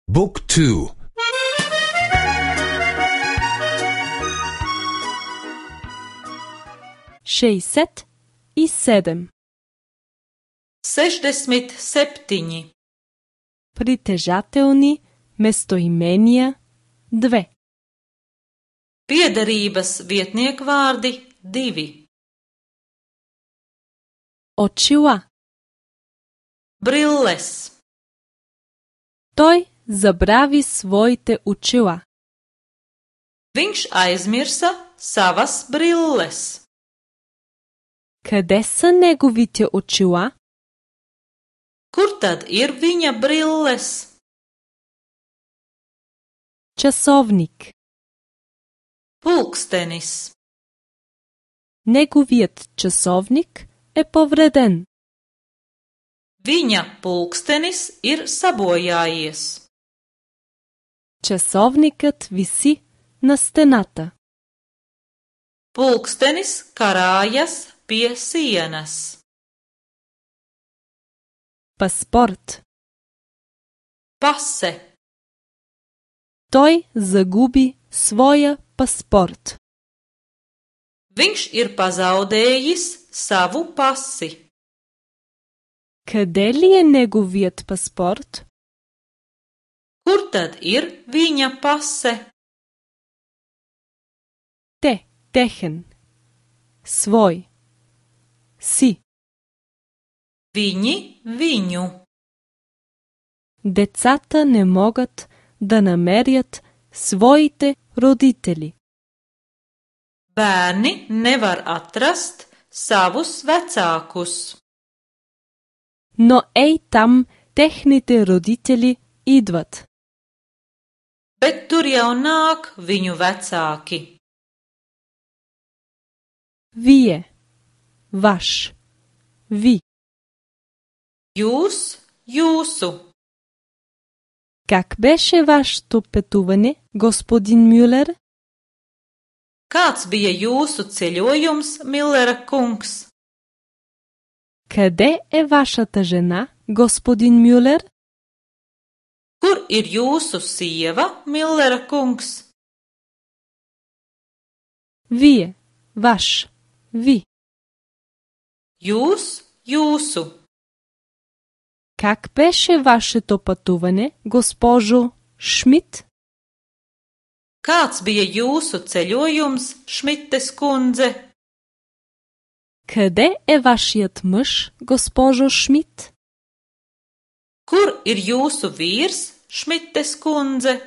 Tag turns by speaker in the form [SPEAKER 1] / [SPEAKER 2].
[SPEAKER 1] Book 2.
[SPEAKER 2] 67.
[SPEAKER 3] 67.
[SPEAKER 2] Притежателни местоимения 2.
[SPEAKER 3] Piederības vietniekvārdi 2.
[SPEAKER 2] Очила.
[SPEAKER 3] Brilles.
[SPEAKER 2] Той забрави своите очила.
[SPEAKER 3] Viņš aizmirsa savas brilles.
[SPEAKER 2] Къде са неговите очила?
[SPEAKER 3] Kur tad ir viņa brilles?
[SPEAKER 2] Часовник.
[SPEAKER 3] Pulkstenis.
[SPEAKER 2] Неговият часовник е повреден.
[SPEAKER 3] Viņa pulkstenis ir sabojājies.
[SPEAKER 2] Часовникът виси на стената.
[SPEAKER 3] Pulkstenis karājas pie sienas.
[SPEAKER 2] Паспорт.
[SPEAKER 3] Pase.
[SPEAKER 2] Той загуби своя паспорт.
[SPEAKER 3] Viņš ir pazaudējis savu pasi.
[SPEAKER 2] Къде ли е неговият паспорт?
[SPEAKER 3] Kur tad ir viņa pase?
[SPEAKER 2] Те, техен. Свой. Си.
[SPEAKER 3] Viņi, viņu.
[SPEAKER 2] Децата не могат да намерят своите родители.
[SPEAKER 3] Bērni nevar atrast savus vecākus.
[SPEAKER 2] Но ей там техните родители идват.
[SPEAKER 3] Bet tur jau nāk viņu vecāki.
[SPEAKER 2] Вие. Ваш. Ви.
[SPEAKER 3] Jūs, jūsu.
[SPEAKER 2] Как беше вашето пътуване, господин Мюлер?
[SPEAKER 3] Kāds bija jūsu ceļojums, Millera kungs?
[SPEAKER 2] Къде е вашата жена, господин Мюлер?
[SPEAKER 3] Kur ir jūsu sieva, Millera kungs?
[SPEAKER 2] Вие. Ваш. Ви.
[SPEAKER 3] Jūs, jūsu.
[SPEAKER 2] Как беше вашето пътуване, госпожо Шмидт?
[SPEAKER 3] Kāds bija jūsu ceļojums, Šmites kundze?
[SPEAKER 2] Къде е вашият мъж, госпожо Шмидт?
[SPEAKER 3] Kur ir jūsu vīrs, Šmites kundze?